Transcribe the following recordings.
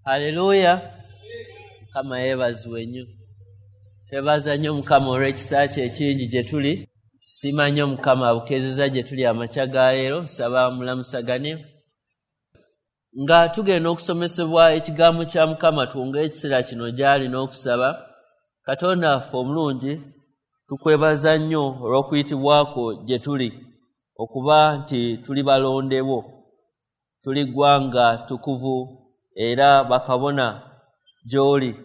Haleluya. Mukama yeebazibwe nnyo. Twebaza nnyo Mukama olw'ekisa kye ekingi gye tuli. Siima nnyo Mukama abukeezezza gye tuli amakya ga leero. Nsaba mulamusagane. Nga tugenda okusomesebwa ekigambo kya Mukama, twongere ekiseera kino gy'ali n'okusaba. Katonda waffe omulungi, tukwebaza nnyo olw'okuyitibwa kwo gye tuli, okuba nti tuli balondewo, tuli ggwanga ttukuvu era bakabona gy'oli.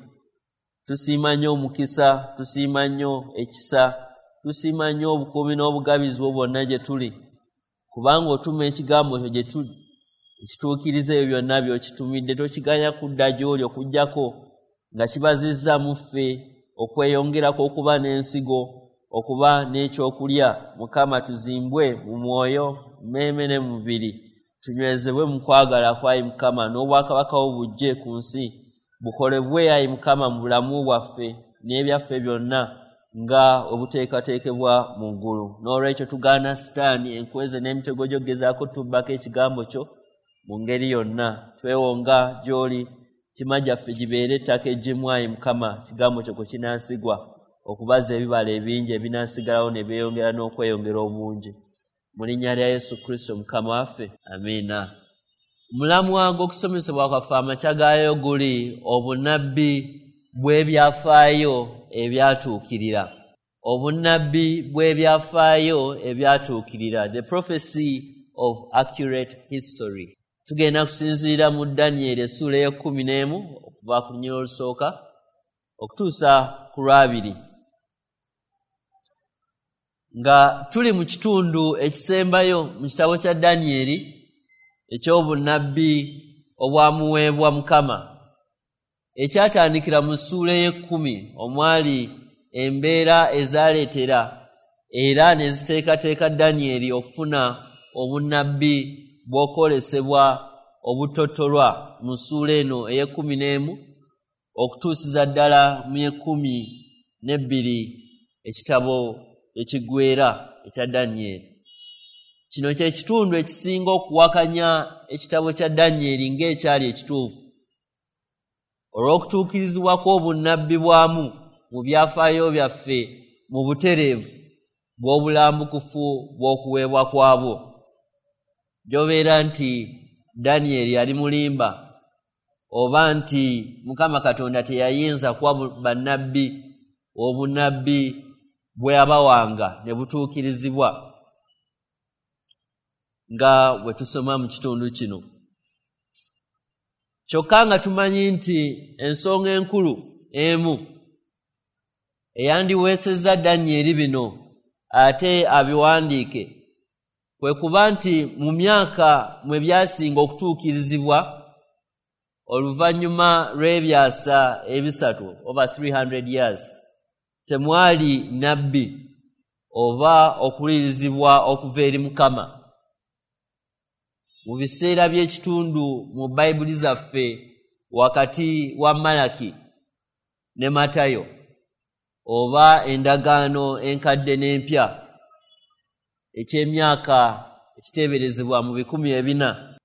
Tusiima nnyo omukisa, tusiima nnyo ekisa, tusiima nnyo obukuumi n'obugabizi bwo bwonna gye tuli, kubanga otuma ekigambo kyo gye tuli ekituukiriza ebyo byonna by'okitumidde. Tokiganya kudda gy'oli okuggyako nga kibazizza mu ffe okweyongerako okuba n'ensigo, okuba n'ekyokulya. Mukama, tuzimbwe mu mwoyo, mmeeme ne mu mubiri, tunywezebwe mu kwagala kwa ayi Mukama, n'obwakabaka bwo bujje ku nsi, bukolebwe ayi Mukama mu bulamu bwaffe n'ebyaffe byonna nga obuteekateekebwa mu ggulu. N'olwekyo tugaana Sitaani, enkweze n'emitego gy'okugezaako tubbako ekigambo kyo mu ngeri yonna. Twewonga gy'oli, mitima gyaffe gibeere ettaka eggimu ayi Mukama, ekigambo kyo kwe kinaasigwa okubaza ebibala ebingi ebinaasigalawo ne byeyongera n'okweyongera obungi. Mu linnya lya Yesu Kristo Mukama waffe, amiina. Omulamwa gw'okusomesebwa kwaffe amakya gaayo guli obunnabbi bw'ebyafaayo ebyatuukirira. Obunnabbi bw'ebyafaayo ebyatuukirira, the prophecy of accurate history. Tugenda kusinziira mu Danyeri essuula ey'ekkumi n'emu okuva ku lunyiriri olusooka okutuusa ku lwabiri. Nga tuli mu kitundu ekisembayo mu kitabo kya Danyeri eky'obunnabbi obwamuweebwa Mukama, ekyatandikira mu ssuula ey'ekkumi omwali embeera ezaaleetera era ne ziteekateeka Danyeri okufuna obunnabbi bw'okwolesebwa obutottolwa mu ssuula eno ey'ekkumi n'emu okutuusiza ddala mu y'ekkumi n'ebbiri ekitabo ekiggweera ekya Danyeri. Kino kye kitundu ekisinga okuwakanya ekitabo kya Danyeri ng'ekyali ekituufu olw'okutuukirizibwa kw'obunnabbi bwamu mu byafaayo byaffe mu butereevu bw'obulambukufu bw'okuweebwa kwabwo. Gy'obeera nti Danyeri yali mulimba oba nti Mukama Katonda teyayinza kuwa bannabbi obunnabbi bwe yabawanga ne butuukirizibwa nga bwe tusoma mu kitundu kino. Kyokka nga tumanyi nti ensonga enkulu emu eyandiweesezza Danyeri bino ate abiwandiike kwe kuba nti mu myaka mwe byasinga okutuukirizibwa oluvannyuma lw'ebyasa ebisatu oba 300 years temwali nabbi oba okuwulirizibwa okuva eri Mukama. Mu biseera by'ekitundu mu Bayibuli zaffe wakati wa Malaki ne Matayo oba endagaano enkadde n'empya eky'emyaka ekiteeberezebwa mu 400,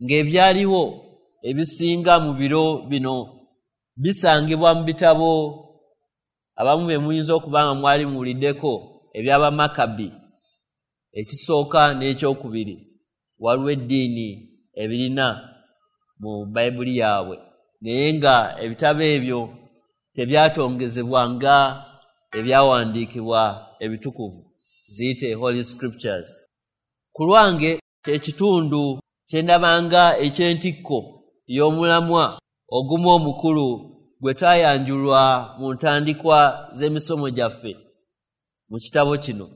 ng'ebyaliwo ebisinga mu biro bino bisangibwa mu bitabo abamu be muyinza okuba nga mwali muwuliddeko eby'Abamakabi ekisooka n'ekyokubiri. Waliwo eddiini ebirina mu Bayibuli yaabwe, naye nga ebitabo ebyo tebyatongezebwa nga ebyawandiikibwa ebitukuvu, ziyite Holy Scriptures. Ku lwange kye kitundu kye ndabanga eky'entikko y'omulamwa ogumu omukulu gwe twayanjulwa mu ntandikwa z'emisomo gyaffe mu kitabo kino.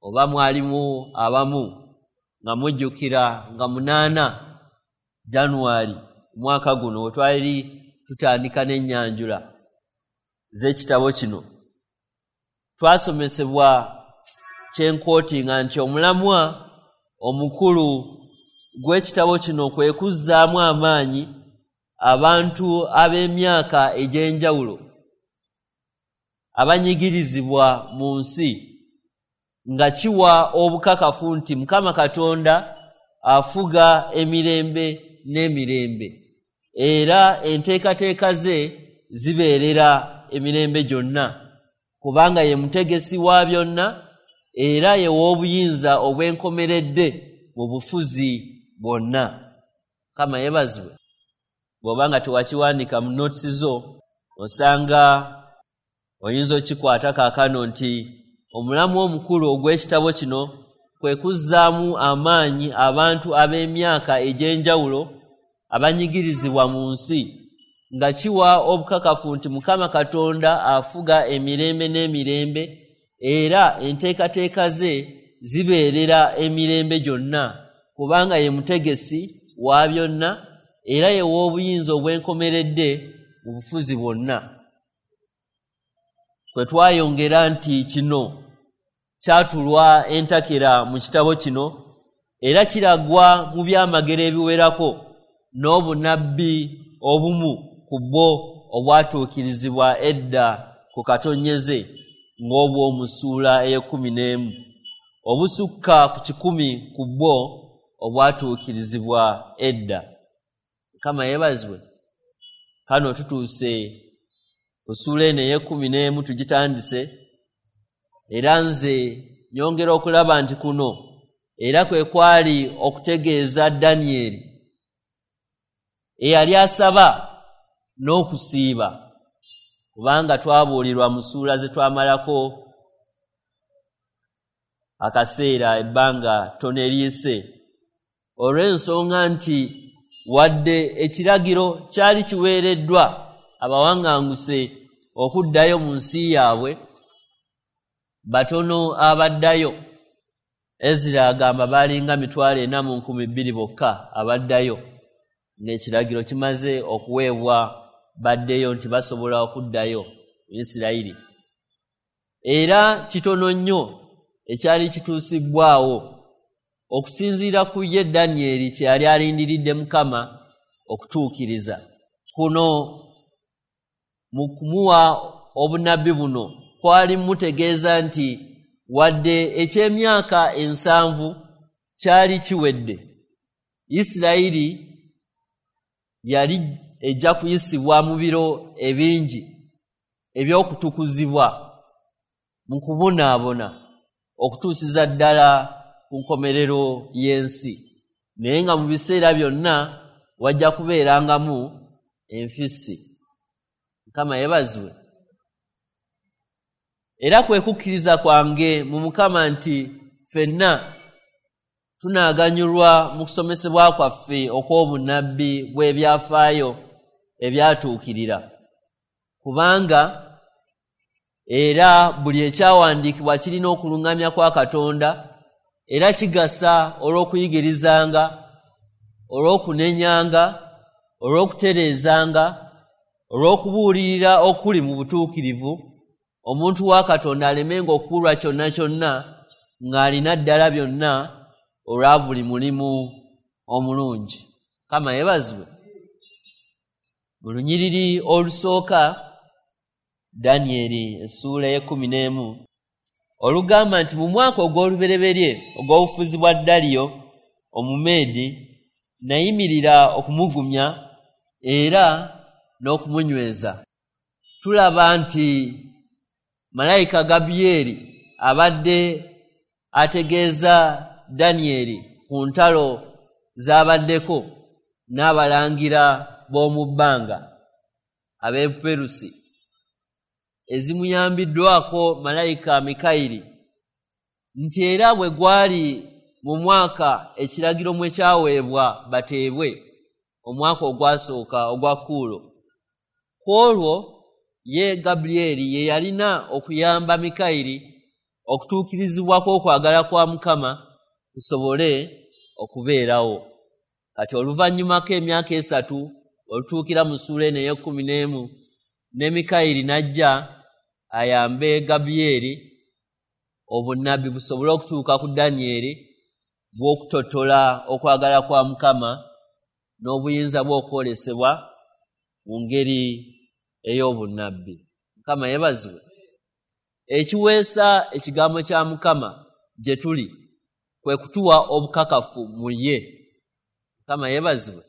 Oba mwalimu abamu nga mujjukira nga 8 Januari omwaka guno we twali tutandika n'ennyanjula z'ekitabo kino, twasomesebwa kyenkootinga nti omulamwa omukulu gw'ekitabo kino kwe kuzzaamu amaanyi abantu ab'emyaka egy'enjawulo abanyigirizibwa mu nsi, nga kiwa obukakafu nti Mukama Katonda afuga emirembe n'emirembe. era enteekateeka ze zibeerera emirembe gyonna, kubanga ye mutegesi wa byonna era ye w'obuyinza obwenkomeredde mu bufuzi bwonna. Mukama yeebazibwe. Bw'oba nga tewakiwandiika mu notes zo, osanga oyinza okikwata kaakano nti omulamu omukulu ogw'ekitabo kino kwe kuzzaamu amaanyi abantu ab'emyaka egy'enjawulo abanyigirizibwa mu nsi, nga kiwa obukakafu nti Mukama Katonda afuga emirembe n'emirembe era enteekateeka ze zibeerera emirembe gyonna, kubanga ye mutegesi wa byonna era ye w'obuyinza obwenkomeredde mu bufuzi bwonna. Kwe twayongera nti kino kyatulwa entakera mu kitabo kino era kiragwa mu byamagero ebiwerako n'obunnabbi obumu ku bwo obwatuukirizibwa edda ku katonyeze ng'obw'omu ssuula ey'ekkumi n'emu, obusukka ku 100 ku bwo obwatuukirizibwa edda. Mukama yeebazibwe. Kano tutuuse ku ssuula eno ey'ekkumi n'emu, tugitandise, era nze nyongera okulaba nti kuno era kwe kwali okutegeeza Danyeri eyali asaba n'okusiiba, kubanga twabuulirwa mu ssuula ze twamalako akaseera ebbanga ttono eriyise, olw'ensonga nti wadde ekiragiro kyali kiweereddwa abawaŋŋanguse okuddayo mu nsi yaabwe, batono abaddayo. Ezira agamba baalinga 402,000 bokka abaddayo ng'ekiragiro kimaze okuweebwa baddeyo nti basobola okuddayo mu Isirayiri. Era kitono nnyo ekyali kituusibbwawo okusinziira ku ye Danyeri kye yali alindiridde Mukama okutuukiriza. Kuno mu kumuwa obunnabbi buno kwali mutegeeza nti wadde eky'emyaka 70 kyali kiwedde, Isirayiri yali ejja kuyisibwa mu biro ebingi eby'okutukuzibwa mu kubonaabona okutuusiza ddala ku nkomerero y'ensi, naye nga mu biseera byonna wajja kubeerangamu enfissi. Mukama yeebazibwe. Era kwe kukkiriza kwange mu Mukama nti ffenna tunaaganyulwa mu kusomesebwa kwaffe okw'obunnabbi bw'ebyafaayo ebyatuukirira, kubanga era buli ekyawandiikibwa kirina okuluŋŋamya kwa Katonda era kigasa olw'okuyigirizanga, olw'okunenyanga, olw'okutereezanga, olw'okubuulirira okuli mu butuukirivu, omuntu wa Katonda alemenga okubulwa kyonna kyonna ng'alina ddala byonna olwa buli mulimu omulungi. Mukama yeebazibwe. Mu lunyiriri olusooka, Danyeri essuula ey'ekkumi n'emu, olugamba nti mu mwaka ogw'olubereberye ogw'obufuzi bwa Daliyo Omumeedi, nayimirira okumugumya era n'okumunyweza. Tulaba nti malayika Gabulyeri abadde ategeeza Danyeri ku ntalo z'abaddeko n'abalangira b'omu bbanga ab'e Perusi, ezimuyambiddwako malayika Mikayiri, nti era bwe gwali mu mwaka ekiragiro mwe kyaweebwa bateebwe, omwaka ogwasooka ogwa Kuulo, ku olwo ye Gabulyeri ye yalina okuyamba Mikayiri okutuukirizibwa kw'okwagala kwa Mukama kusobole okubeerawo. Kati oluvannyumako emyaka 3 olutuukira mu ssuula eno ey'ekkumi n'emu, ne Mikayiri n'ajja ayambe Gabulyeri obunnabbi busobole okutuuka ku Danyeri bw'okutottola okwagala kwa Mukama n'obuyinza bw'okwolesebwa mu ngeri ey'obunnabbi. Mukama yeebazibwe. Ekiweesa ekigambo kya Mukama gye tuli kwe kutuwa obukakafu mu ye. Mukama yeebazibwe.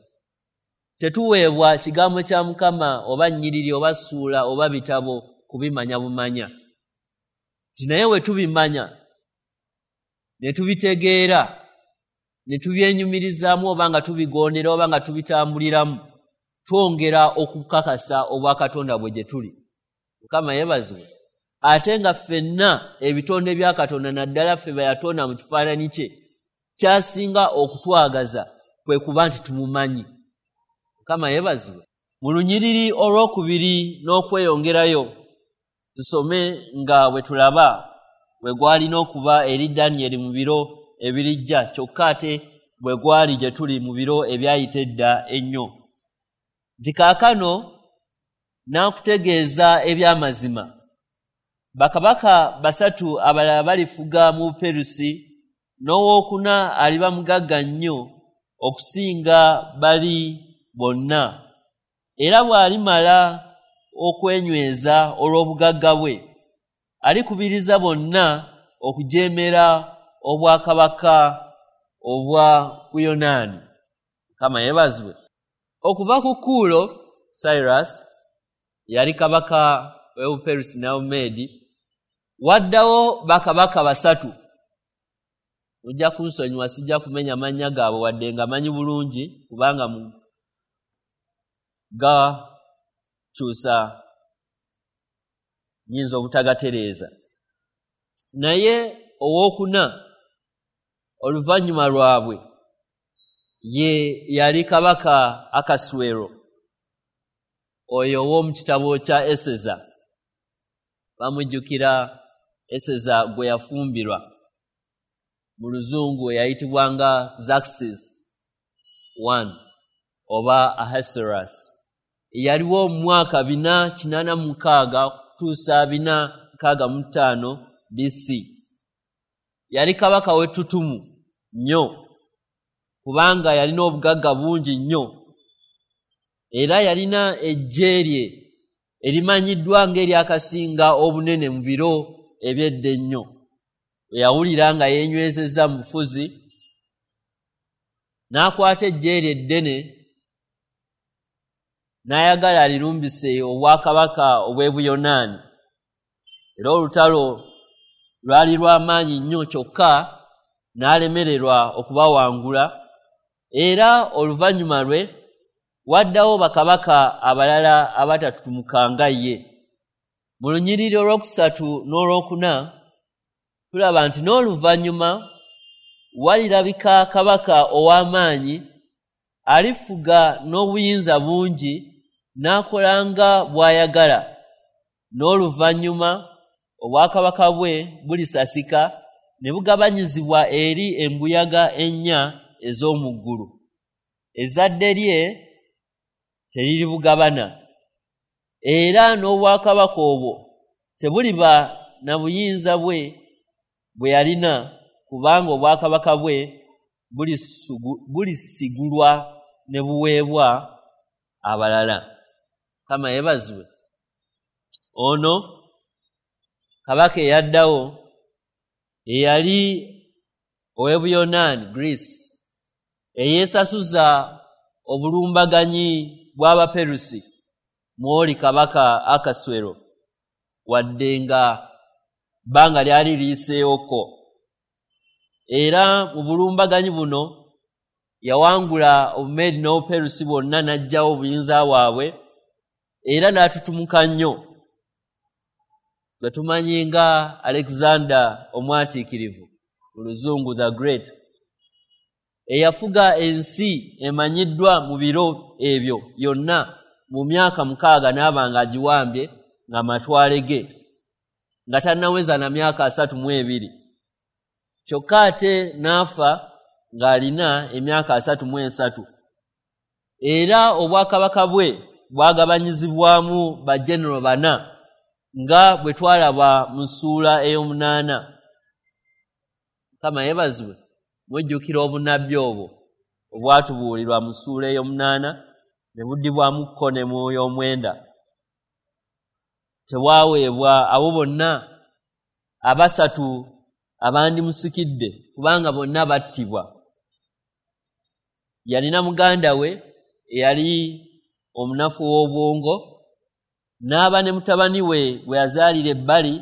Tetuweebwa kigambo kya Mukama oba nnyiriri oba ssuula oba bitabo kubimanya bumanya. Nti naye we tubimanya ne tubitegeera ne tubyenyumirizaamu oba nga tubigondera oba nga tubitambuliramu, twongera okukakasa obwakatonda bwe gye tuli. Mukama yeebazibwe. Ate nga ffenna ebitonde bya Katonda, naddala ffe be yatonda mu kifaananyi kye, kyasinga okutwagaza kwe kuba nti tumumanyi. Mukama yeebazibwe. Mu lunyiriri olwokubiri n'okweyongerayo tusome nga bwe tulaba bwe gwalina okuba eri Danyeri mu biro ebirijja, kyokka ate bwe gwali gye tuli mu biro ebyayita edda ennyo. Nti kaakano n'akutegeeza eby'amazima. Bakabaka basatu abalala balifuga mu Buperusi, n'owookuna aliba mugagga nnyo okusinga bali bonna. Era bw'alimala okwenyweza olw'obugagga bwe, alikubiriza bonna okujeemera obwakabaka obwa Buyonaani. Mukama yeebazibwe. Okuva ku Kuulo, Cyrus, yali kabaka w'Obuperusi n'Obumeedi, waddawo bakabaka basatu. Mujja kunsonyiwa, sijja kumenya mannya gaabwe wadde nga manyi bulungi, kubanga gakyusa nnyinza obutagatereeza. Naye owookuna oluvannyuma lwabwe ye yali kabaka Akaswero, oyo ow'omu kitabo kya Eseza. Bamujjukira Eseza gwe yafumbirwa mu luzungu eyayitibwanga Xerxes I oba Ahasuerus. Yaliwo mu mwaka 486 kutuusa 465 BC. Yali kabaka w'ettutumu nnyo, kubanga yalina obugagga bungi nnyo, era yalina eggye lye erimanyiddwa ng'eryakasinga obunene mu biro eby'edda ennyo. Bwe yawulira nga yeenywezezza mu bufuzi, n'akwata eggye lye eddene n'ayagala alirumbise obwakabaka obw'e Buyonaani. Era olutalo lwali lw'amaanyi nnyo, kyokka n'alemererwa okubawangula. Era oluvannyuma lwe waddawo bakabaka abalala abatatutumuka nga ye. Mu lunyiriri olwokusatu n'olwokuna tulaba nti n'oluvannyuma walirabika kabaka ow'amaanyi alifuga n'obuyinza bungi n'akola nga bw'ayagala. N'oluvannyuma obwakabaka bwe bulisasika ne bugabanyizibwa eri embuyaga ennya ez'omu ggulu. Ezzadde lye teriribugabana, era n'obwakabaka obwo tebuliba na buyinza bwe bwe yalina, kubanga obwakabaka bwe bulisigulwa ne buweebwa abalala. Mukama yeebazibwe. Ono kabaka eyaddawo eyali ow'e Buyonaani, Greece, eyeesasuza obulumbaganyi bw'Abaperusi mw'oli kabaka Akaswero, wadde nga bbanga lyali liyiseewokko. Era mu bulumbaganyi buno yawangula Obumeedi n'Obuperusi bwonna n'aggyawo obuyinza bwabwe, era n'atutumuka nnyo. Gwe tumanyi nga Alexander Omwatiikirivu, mu luzungu the Great, eyafuga ensi emanyiddwa mu biro ebyo yonna mu myaka 6 n'aba ng'agiwambye ng'amatwale ge, nga tannaweza na myaka 32. Kyokka ate n'afa ng'alina emyaka 33. Era obwakabaka bwe bwagabanyizibwamu bagenero bana nga bwe twalaba mu ssuula ey'omunaana. Mukama yeebazibwe. Mujjukira obunnabbi obwo obwatubuulirwa mu ssuula ey'omunaana ne buddibwamu kko ne mu y'omwenda. Tebwaweebwa abo bonna abasatu abandimusikidde, kubanga bonna battibwa. Yalina muganda we eyali omunafu w'obwongo, n'aba ne mutabani we gwe yazaalira ebbali,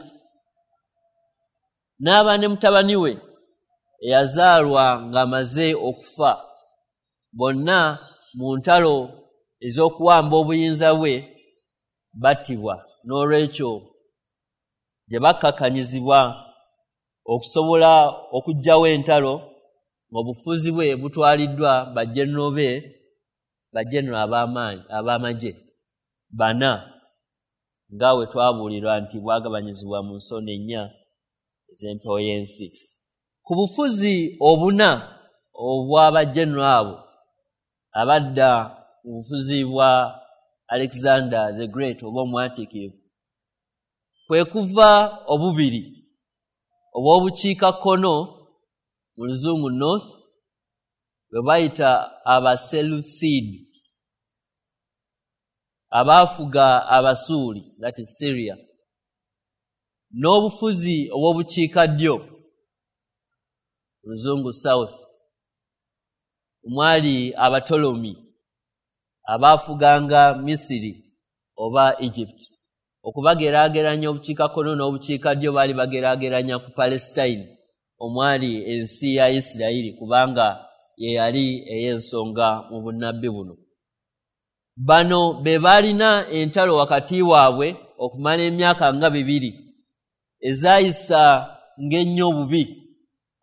n'aba ne mutabani we eyazaalwa ng'amaze okufa. Bonna mu ntalo ez'okuwamba obuyinza bwe battibwa. N'olwekyo gye bakkakkanyizibwa okusobola okuggyawo entalo ng'obufuzi bwe butwaliddwa bajenero be, bajenero ab'amaanyi ab'amagye bana, nga bwe twabuulirwa nti bwagabanyizibwa mu nsonda ennya ez'empewo y'ensi. Ku bufuzi obuna obw'abajenero abo abadda mu bufuzi bwa Alexander the Great oba omwatiikirivu, kwe kuva obubiri obw'obukiikakkono, mu Luzungu North, bwe bayita Abaselusiidi, abaafuga Abasuuli, that is Syria, n'obufuzi obw'obukiikaddyo, Luzungu South, omwali Abatolomi abaafuganga Misiri oba Egypt. Okubageraageranya obukiikakkono n'obukiikaddyo baali bageraageranya ku Palestine omwali ensi ya Isirayiri, kubanga ye yali ey'ensonga mu bunnabbi buno. Bano be baalina entalo wakati waabwe okumala emyaka nga 2 ezaayisa ng'ennyo obubi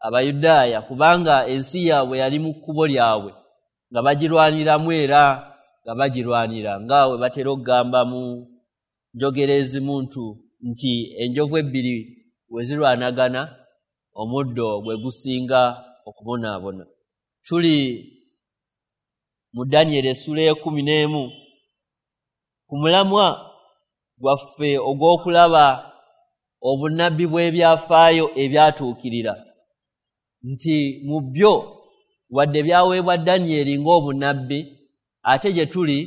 Abayudaaya, kubanga ensi yaabwe yali mu kkubo lyabwe nga bagirwaniramu era nga bagirwanira, nga bwe batera okugamba mu njogera ezimu nti enjovu ebbiri we zirwanagana omuddo gwe gusinga okubonaabona. Tuli mu Danyeri essula 11 ku mulamwa gwaffe ogw'okulaba obunnabbi bw'ebyafaayo ebyatuukirira, nti mu byo wadde byaweebwa Danyeri ng'obunnabbi, ate gye tuli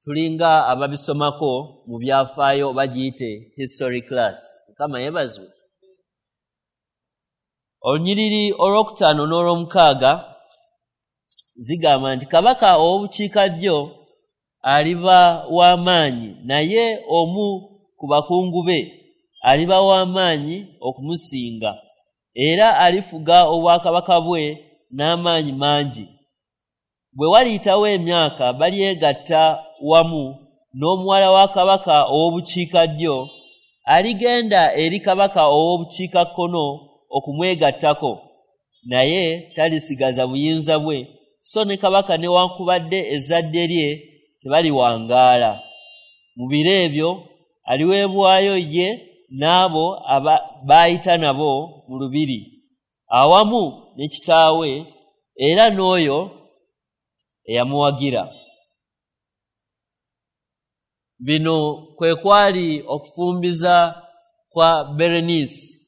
tulinga ababisomako mu byafaayo, bagiyite history class. Mukama yeebazibwe. Olunyiriri olwokutaano n'olwomukaaga zigamba nti kabaka ow'obukiikaddyo aliba w'amaanyi, naye omu ku bakungu be aliba w'amaanyi okumusinga, era alifuga obwakabaka bwe n'amaanyi mangi. Bwe waliyitawo emyaka balyegatta wamu n'omuwala wa kabaka ow'obukiikaddyo, aligenda eri kabaka ow'obukiikakkono okumwegattako, naye talisigaza buyinza bwe, so ne kabaka newankubadde ezzadde lye tebaliwangaala. Mu biro ebyo aliweebwayo ye n'abo baayita nabo mu lubiri, awamu ne kitaawe era n'oyo eyamuwagira. Bino kwe kwali okufumbiza kwa Berenice,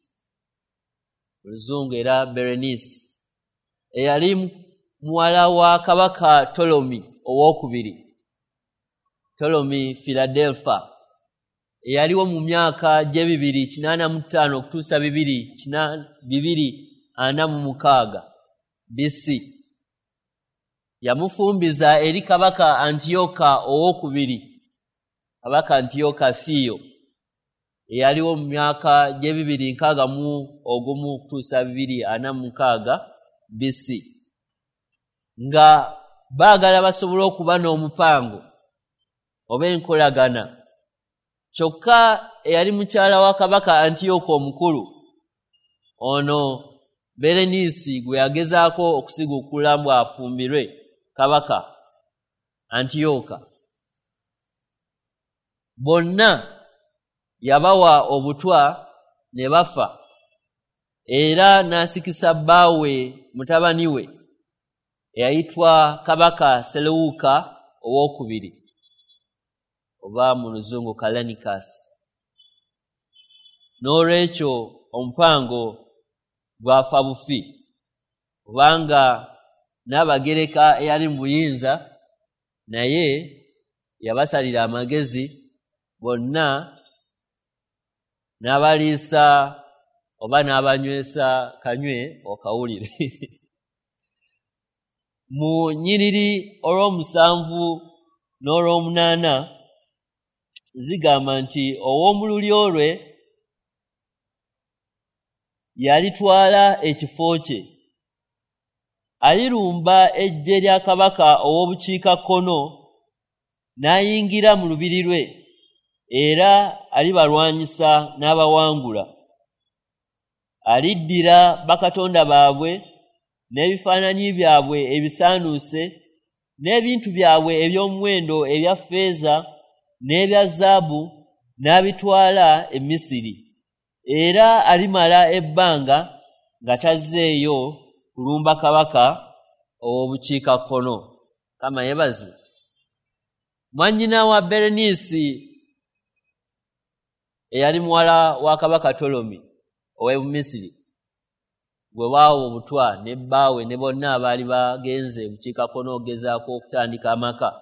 Luzungu era Berenice, eyali muwala wa kabaka Ptolemy owokubiri, Ptolemy Philadelphia, eyaliwo mu myaka gy'e 285 okutuusa 246 BC. Yamufumbiza eri kabaka Antiyoka owokubiri, kabaka Antiyoka Theo, eyaliwo mu myaka gy'e 261 okutuusa 246 BC, nga baagala basobole okuba n'omupango oba enkolagana. Kyokka eyali mukyala wa kabaka Antiyoka omukulu ono Bereniisi gwe yagezaako okusiguukula mbu afumbirwe kabaka Antiyoka, bonna yabawa obutwa ne bafa, era n'asikisa bbaawe mutabani we eyayitwa kabaka Selewuka owokubiri, oba mu Luzungu Callinicus. N'olwekyo omupango gwafa bufi, kubanga Nnabagereka eyali mu buyinza naye yabasalira amagezi bonna, n'abaliisa oba n'abanywesa kanywe okawulire. Mu nnyiriri olw'omusanvu n'olw'omunaana zigamba nti ow'omu lulyo lwe yalitwala ekifo kye. Alirumba eggye lya kabaka ow'obukiikakkono n'ayingira mu lubiri lwe, era alibalwanyisa n'abawangula. Aliddira bakatonda baabwe n'ebifaananyi byabwe ebisaanuuse n'ebintu byabwe eby'omuwendo ebya ffeeza n'ebya zaabu n'abitwala e Misiri. Era alimala ebbanga nga tazzeeyo kulumba kabaka ow'obukiikakkono. Mukama yeebazibwe. Mwannyina wa Bereniisi eyali muwala wa kabaka Ptolemy ow'e Misiri, gwe baawa obutwa ne bbaawe ne bonna abaali bagenze bukiikakkono okugezaako okutandika amaka,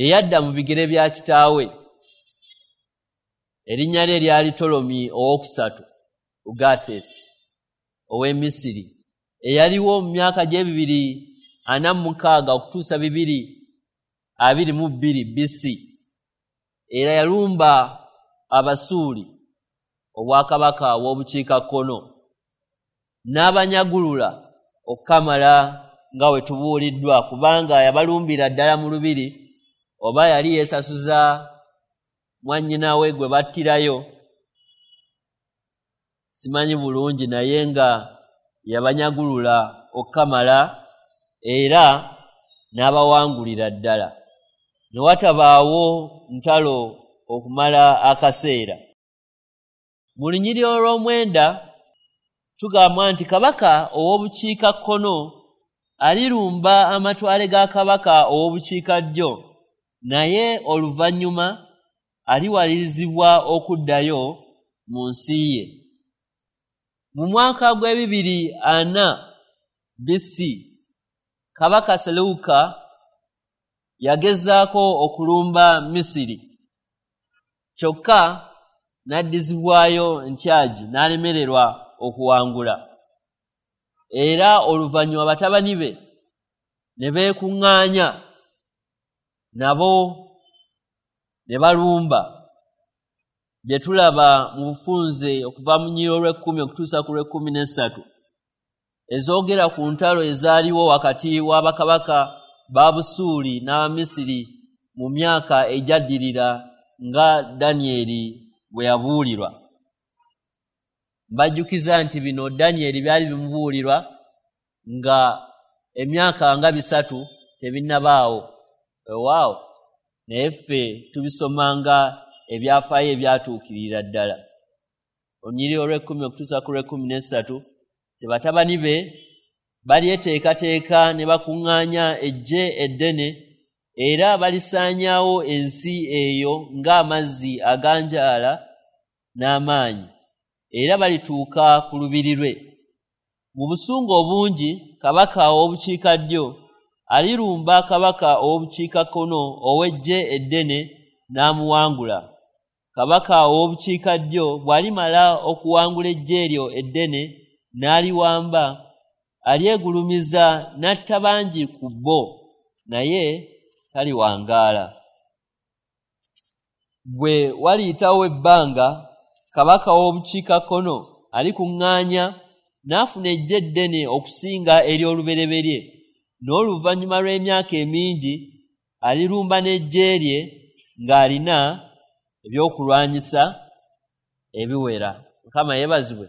eyadda mu bigere bya kitaawe. Erinnya lye lyali Ptolemy owokusatu Ugates ow'e Misiri, eyaliwo mu myaka gy'e 246 okutuusa 222 BC. Era yalumba Abasuuli, obwakabaka bw'obukiikakkono, n'abanyagulula okukamala nga we tubuuliddwa, kubanga yabalumbira ddala mu lubiri, oba yali yeesasuza mwannyina we gwe battirayo, simanyi bulungi, naye nga yabanyagulula okukamala era n'abawangulira ddala. Ne watabaawo ntalo okumala akaseera. Mu lunyiriri olw'omwenda tugambwa nti kabaka ow'obukiikakkono alirumba amatwale ga kabaka ow'obukiikaddyo, naye oluvannyuma aliwalirizibwa okuddayo mu nsi ye. Mu mwaka gw'e 240 BC, kabaka Seleuka yagezaako okulumba Misiri, kyokka n'addizibwayo ntyagi n'alemererwa okuwangula. Era oluvannyuma batabani be ne beekuŋŋaanya nabo ne balumba, bye tulaba mu bufunze okuva mu nnyiriri olw'ekkumi okutuusa ku lw'ekkumi n'essatu, ezoogera ku ntalo ezaaliwo wakati w'abakabaka ba Busuuli n'Abamisiri mu myaka egyaddirira, nga Danyeri bwe yabuulirwa. Mbajjukiza nti bino Danyeri byali bimubuulirwa nga emyaka nga 300 tebinnabaawo. Weewaawo, naye ffe tubisomanga ebyafaayo ebyatuukirira ddala. Olunyiriri olw'ekkumi okutuusa ku lw'ekkumi n'essatu: Tebatabani be balyeteekateeka ne bakuŋŋaanya eggye eddene, era balisaanyaawo ensi eyo ng'amazzi aganjaala n'amaanyi, era balituuka ku lubiri lwe. Mu busungu obungi kabaka ow'obukiikaddyo alirumba kabaka ow'obukiikakkono ow'eggye eddene n'amuwangula. Kabaka ow'obukiikaddyo bw'alimala okuwangula eggye eryo eddene n'aliwamba, alyegulumiza n'atta bangi ku bo, naye taliwangaala. Bwe waliyitawo ebbanga, kabaka w'obukiikakkono alikuŋŋaanya n'afuna eggye eddene okusinga ery'olubereberye. N'oluvannyuma lw'emyaka emingi alirumba n'eggye lye ng'alina ebyokulwanyisa ebiwera. Mukama yeebazibwe.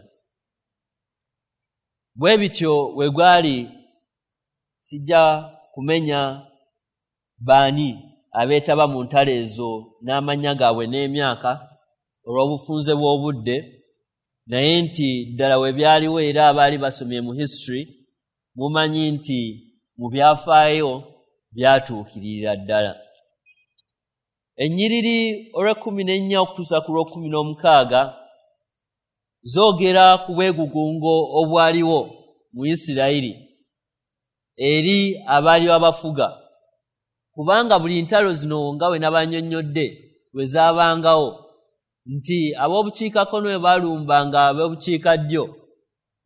Bwe bityo bwe gwali. Sijja kumenya baani abeetaba mu ntalo ezo n'amannya gaabwe n'emyaka olw'obufunze bw'obudde, naye nti ddala we byaliwo, era abaali basomye mu history mumanyi nti mu byafaayo byatuukirira ddala. Ennyiriri olw'ekkumi n'ennya okutuusa ku lw'ekkumi n'omukaaga zoogera ku bwegugungo obwaliwo mu Isirayiri eri abaali babafuga, kubanga buli ntalo zino, nga bwe nabannyonnyodde, lwe zaabangawo nti ab'obukiikakkono bwe balumbanga ab'obukiikaddyo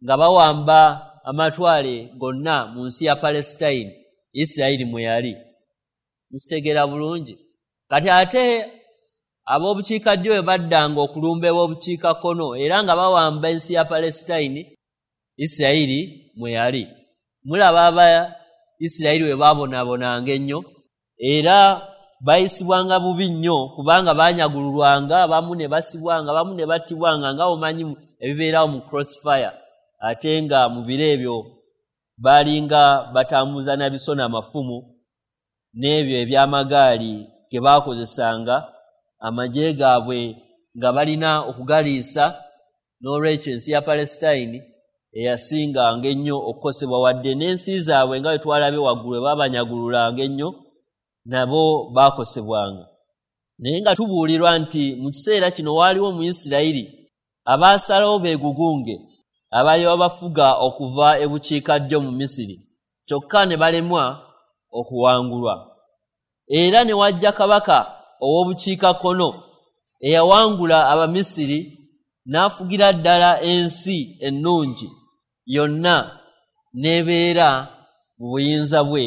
nga bawamba amatwale gonna mu nsi ya Palestine, Isirayiri mwe yali. Mukitegeera bulungi? Kati ate ab'obukiikaddyo bwe baddanga okulumba eb'obukiikakkono era nga bawamba ensi ya Palestine, Isirayiri mwe yali. Mulaba aba Isirayiri bwe baabonaabonanga ennyo era bayisibwanga bubi nnyo, kubanga baanyagululwanga, abamu ne basibwanga, abamu ne battibwanga, nga omanyi ebibeerawo mu crossfire. Ate nga mu biro ebyo baalinga batambuza na biso n'amafumu n'ebyo eby'amagaali ge baakozesanga, amagye gaabwe nga balina okugaliisa. N'olwekyo ensi ya Palestine eyasinganga ennyo okukosebwa, wadde n'ensi zaabwe nga bwe twalabye waggulu baabanyagululanga ennyo, nabo baakosebwanga. Naye nga tubuulirwa nti mu kiseera kino waaliwo mu Isirayiri abaasalawo beegugunge abaali babafuga okuva ebukiikaddyo mu Misiri, kyokka ne balemwa okuwangulwa. Era ne wajja kabaka ow'obukiikakkono eyawangula Abamisiri n'afugira ddala ensi ennungi yonna n'ebeera mu buyinza bwe,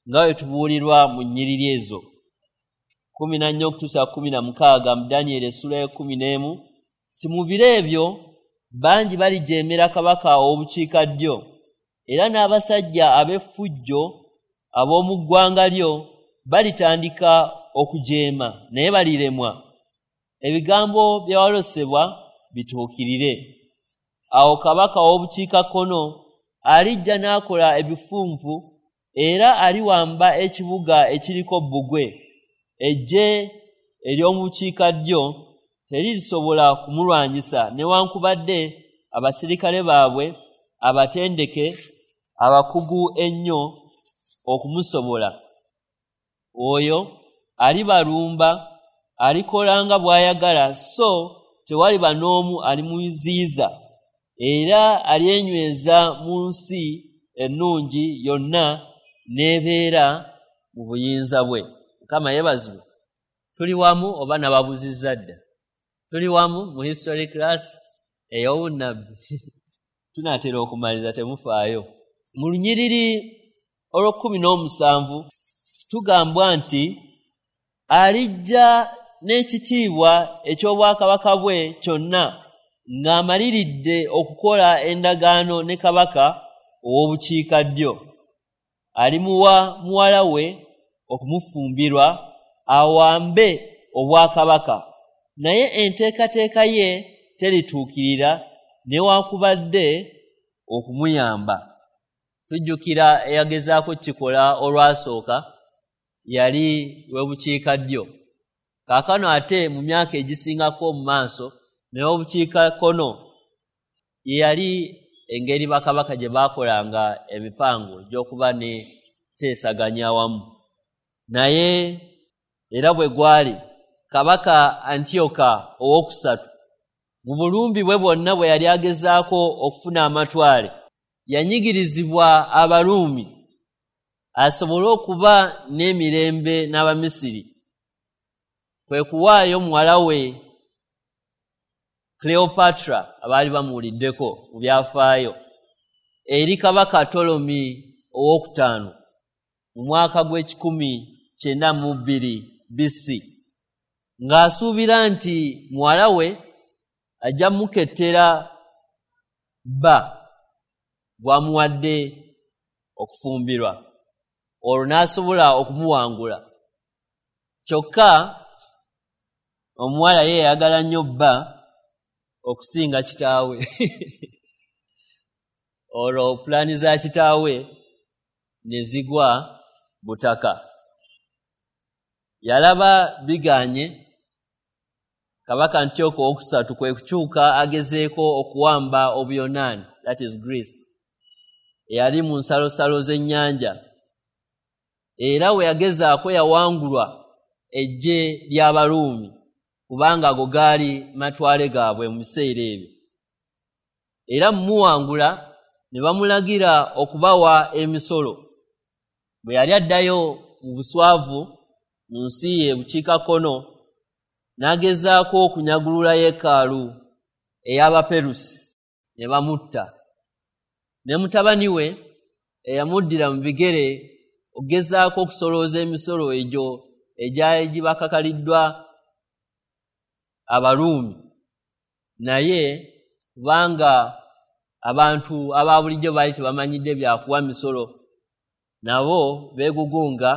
nga bwe tubuulirwa mu nnyiriri ezo 14 okutuusa 16 mu Danyeri essula y'e11, nti mu biro ebyo bangi balijeemera kabaka ow'obukiikaddyo, era n'abasajja ab'effujjo ab'omu ggwanga lyo balitandika okujeema, naye baliremwa. Ebigambo byawalosebwa bituukirire. Awo kabaka ow'obukiikakkono alijja n'akola ebifunvu era aliwamba ekibuga ekiriko bbugwe. Eggye ery'omu bukiikaddyo teririsobola kumulwanyisa, newankubadde abasirikale baabwe abatendeke abakugu ennyo okumusobola. Oyo alibalumba, alikola nga bw'ayagala, so tewaliba n'omu alimuziyiza, era alyenyweza mu nsi ennungi yonna n'ebeera mu buyinza bwe. Mukama yeebazibwe. Tuli wamu oba nababuzizza dda? Tuli wamu mu history class ey'obunnabbi? Tunaatera okumaliza, temufaayo. Mu lunyiriri olw'o17 tugambwa nti alijja n'ekitiibwa eky'obwakabaka bwe kyonna, ng'amaliridde okukola endagaano ne kabaka ow'obukiikaddyo. Alimuwa muwala we okumufumbirwa awambe obwakabaka, naye enteekateeka ye terituukirira newaakubadde okumuyamba. Tujjukira eyagezaako kikola olwasooka yali w'ebukiikaddyo. Kaakano ate mu myaka egisingako mu maaso naye obukiikakkono ye yali engeri bakabaka gye baakolanga emipango gy'okuba ne teesaganya awamu. Naye era bwe gwali kabaka Antiyoka owokusatu mu bulumbi bwe bwonna bwe yali agezaako okufuna amatwale, yanyigirizibwa Abaruumi asobole okuba n'emirembe n'Abamisiri. Kwe kuwaayo muwala we Cleopatra, abaali bamuwuliddeko mu byafaayo, eri kabaka Ptolemy owookutaano mu mwaka gw'e192 BC, ng'asuubira nti muwala we ajja mukettera bba gw'amuwadde okufumbirwa, olwo n'asobola okumuwangula. Kyokka omuwala ye yayagala nnyo bba okusinga kitaawe. Olwo pulaani za kitaawe ne zigwa butaka. Yalaba biganye, kabaka Antiyoka owokusatu kwe kukyuka agezeeko okuwamba Obuyonaani, that is Greece, eyali mu nsalosalo z'ennyanja. Era we yagezaako yawangulwa eggye ly'Abaruumi, kubanga ago gaali matwale gaabwe mu biseera ebyo. Era mumuwangula ne bamulagira okubawa emisolo. Bwe yali addayo mu buswavu mu nsi ye bukiikakkono, n'agezaako okunyagulula yeekaalu ey'Abaperusi, ne bamutta. Ne mutabani we eyamuddira mu bigere okugezaako okusolooza emisolo egyo egyali gibakakaliddwa Abaruumi, naye kubanga abantu aba bulijjo baali tebamanyidde byakuwa misolo, nabo beegugunga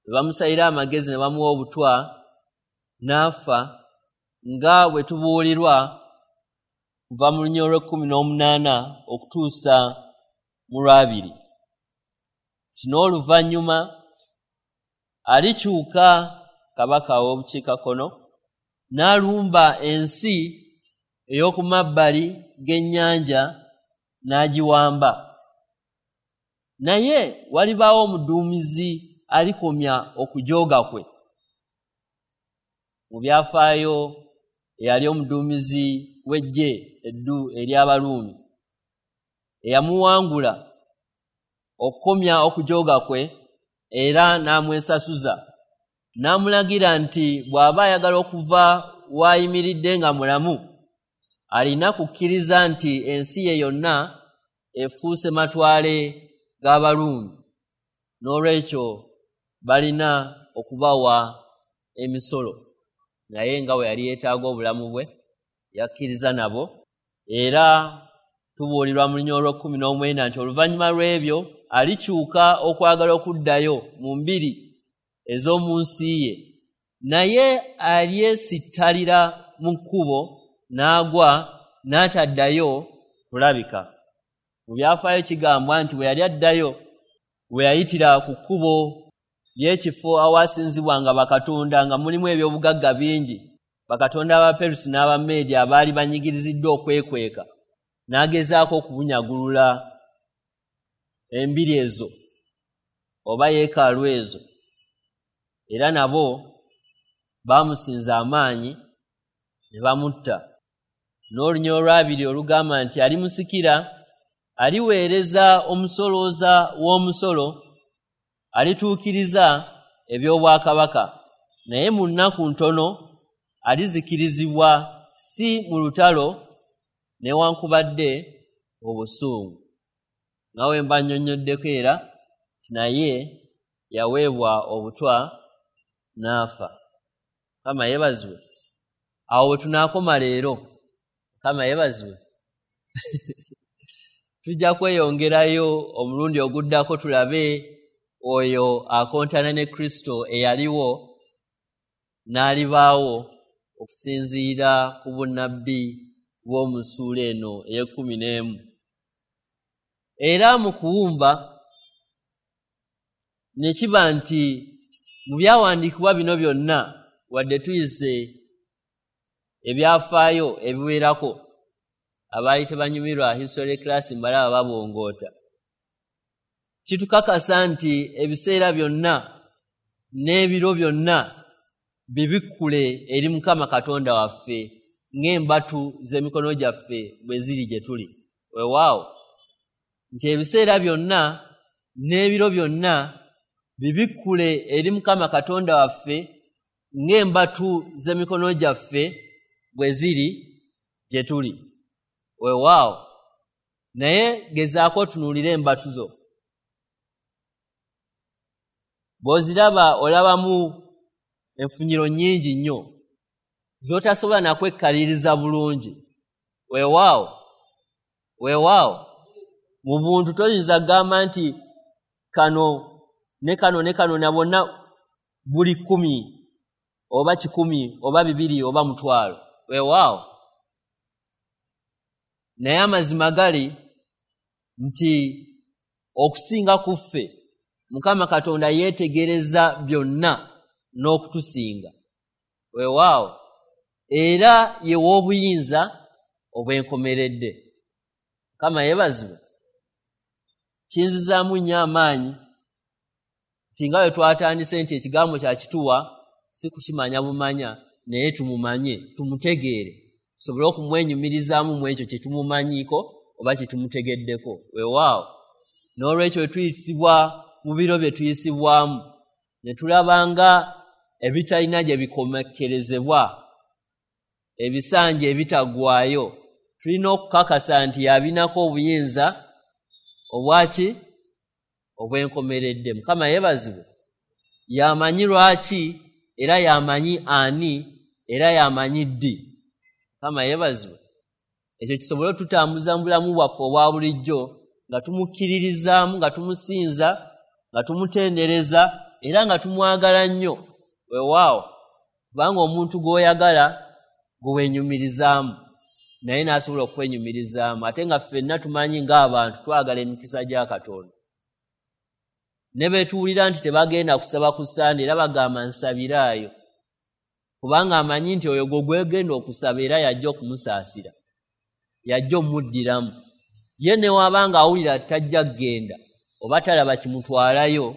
ne bamusalira amagezi ne bamuwa obutwa n'afa, nga bwe tubuulirwa kuva mu lunyiriri olw'ekkumi n'omunaana okutuusa mu lwabiri. Kino oluvannyuma alikyuka kabaka w'obukiikakkono n'alumba ensi ey'oku mabbali g'ennyanja n'agiwamba. Naye walibaawo omuduumizi alikomya okujooga kwe. Mu byafaayo eyali omuduumizi w'eggye eddu ery'Abaruumi eyamuwangula okukomya okujooga kwe era n'amwesasuza, n'amulagira nti bw'aba ayagala okuva w'ayimiridde nga mulamu alina kukkiriza nti ensi ye yonna efuuse matwale g'Abaruumi, n'olwekyo balina okubawa emisolo. Naye nga bwe yali yeetaaga obulamu bwe yakkiriza nabo. Era tubuulirwa mu lunyiriri olw'ekkumi n'omwenda nti oluvannyuma lw'ebyo alikyuka okwagala okuddayo mu mbiri ez'omu nsi ye, naye alyesittalira mu kkubo n'agwa n'ataddayo kulabika. Mu byafaayo kigambwa nti bwe yali addayo, bwe yayitira ku kkubo ly'ekifo awasinzibwanga bakatonda nga mulimu ebyobugagga bingi, bakatonda Abaperusi n'Abameedi abaali banyigiriziddwa okwekweka, n'agezaako okubunyagulula embiri ezo oba yeekaalu ezo, era nabo baamusinza amaanyi ne bamutta. N'olunyiriri olwabiri olugamba nti alimusikira aliweereza omusolooza w'omusolo, alituukiriza eby'obwakabaka, naye mu nnaku ntono alizikirizibwa, si mu lutalo newankubadde obusungu. Nga we mba nnyonnyoddeko era naye yaweebwa obutwa n'afa. Mukama yeebazibwe. Awo we tunaakoma leero. Mukama yeebazibwe. Tujja kweyongerayo omulundi oguddako tulabe oyo akontana ne Kristo eyaliwo n'alibaawo okusinziira ku bunnabbi bw'omu ssuula eno ey'ekkumi n'emu. Era mu kuwumba ne kiba nti mu byawandiikibwa bino byonna, wadde tuyise ebyafaayo ebiwerako, abaali tebanyumirwa history class mbalaba babongoota, kitukakasa nti ebiseera byonna n'ebiro byonna bibikkule eri Mukama Katonda waffe ng'embatu z'emikono gyaffe bwe ziri gye tuli. Weewaawo nti ebiseera byonna n'ebiro byonna bibikkule eri Mukama Katonda waffe ng'embatu z'emikono gyaffe bwe ziri gye tuli. Weewaawo, naye gezaako otunuulire embatu zo. Bw'oziraba olabamu enfunyiro nnyingi nnyo z'otasobola na kwekkaliriza bulungi. Weewaawo, weewaawo, mu buntu toyinza kugamba nti kano ne kano ne kano na bonna buli 10 oba 100 oba 200 oba 5,000. Weewaawo, naye amazima gali nti okusinga ku ffe Mukama Katonda yeetegereza byonna n'okutusinga. Weewaawo, era ye w'obuyinza obwenkomeredde. Mukama yeebazibwe. Kinzizaamu nnyo amaanyi nti nga bwe twatandise nti ekigambo kya kituwa si kukimanya bumanya, naye tumumanye, tumutegeere, tusobole okumwenyumirizaamu mu ekyo kye tumumanyiiko oba kye tumutegeddeko. Weewaawo, n'olwekyo bwe tuyisibwa mu biro bye tuyisibwamu ne tulaba nga ebitalina gye bikomekkerezebwa, ebisanja ebitaggwaayo, tulina okukakasa nti yabinako obuyinza Obwaki? Obwenkomeredde. Mukama yeebazibwe. Yamanyi lwaki, era yamanyi ani, era yamanyi ddi. Mukama yeebazibwe. Ekyo kisobole otutambuza mu bulamu bwaffe obwa bulijjo nga tumukkiririzaamu, nga tumusinza, nga tumutendereza, era nga tumwagala nnyo. Weewaawo, kubanga omuntu gw'oyagala gwe weenyumirizaamu, naye n'asobola okwenyumirizaamu. Ate nga ffenna tumanyi ng'abantu twagala emikisa gya Katonda. Ne bwe tuwulira nti tebagenda kusaba ku Ssande, era bagamba nsabiraayo, kubanga amanyi nti oyo gwe gwegenda okusaba era yajja okumusaasira, yajja omuddiramu. Ye ne waba ng'awulira tajja kugenda oba talaba kimutwalayo,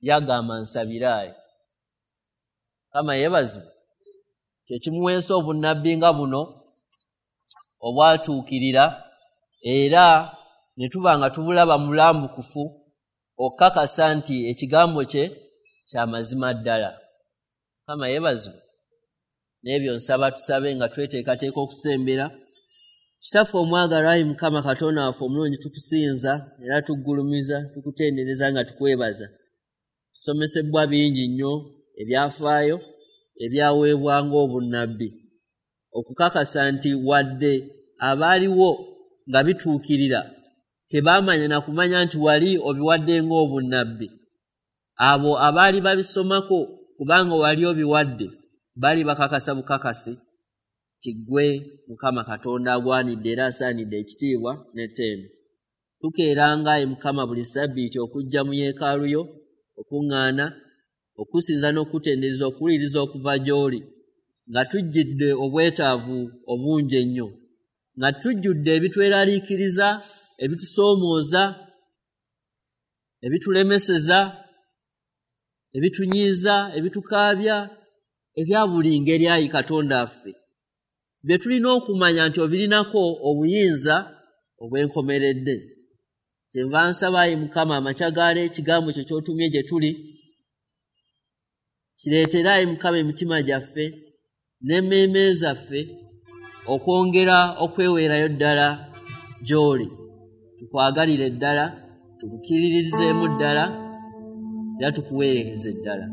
yagamba nsabiraayo. Mukama yeebazibwe. Kye kimuweesa obunnabbi nga buno obwatuukirira, era ne tuba nga tubulaba mulambukufu okukakasa nti ekigambo kye kya mazima ddala. Mukama yeebazibwe. N'ebyo nsaba tusabe nga tweteekateeka okusembera. Kitaffe omwagalwa, ayi Mukama Katonda waffe omulungi, tukusinza era tuggulumiza, tukutendereza nga tukwebaza. Tusomesebwa bingi nnyo ebyafaayo ebyaweebwa ng'obunnabbi, okukakasa nti wadde abaaliwo nga bituukirira tebaamanya na kumanya nti wali obiwadde ng'obunnabbi. Abo abaali babisomako kubanga wali obiwadde bali bakakasa bukakasi nti ggwe Mukama Katonda agwanidde era asaanidde ekitiibwa n'ettendo. Tukeeranga ayi Mukama buli ssabbiiti okujja mu yeekaalu yo okuŋŋaana, okusinza n'okutendereza, okuwuliriza okuva gy'oli, nga tujjidde obwetaavu obungi ennyo, nga tujjudde ebitweraliikiriza, ebitusoomooza, ebitulemeseza, ebitunyiiza, ebitukaabya, ebya buli ngeri. Ayi Katonda waffe, bye tulina okumanya nti obirinako obuyinza obwenkomeredde. Kyenva nsaba ayi Mukama amakya gaale ekigambo kyo ky'otumye gye tuli kireetere ayi Mukama emitima gyaffe n'emmeeme zaffe okwongera okweweerayo ddala gy'oli. Tukwagalire ddala, tukukkiririzeemu ddala, era tukuweerereze ddala.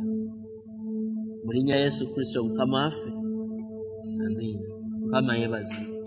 Mu linnya Yesu Kristo Mukama waffe, amiina. Mukama yeebazibwe.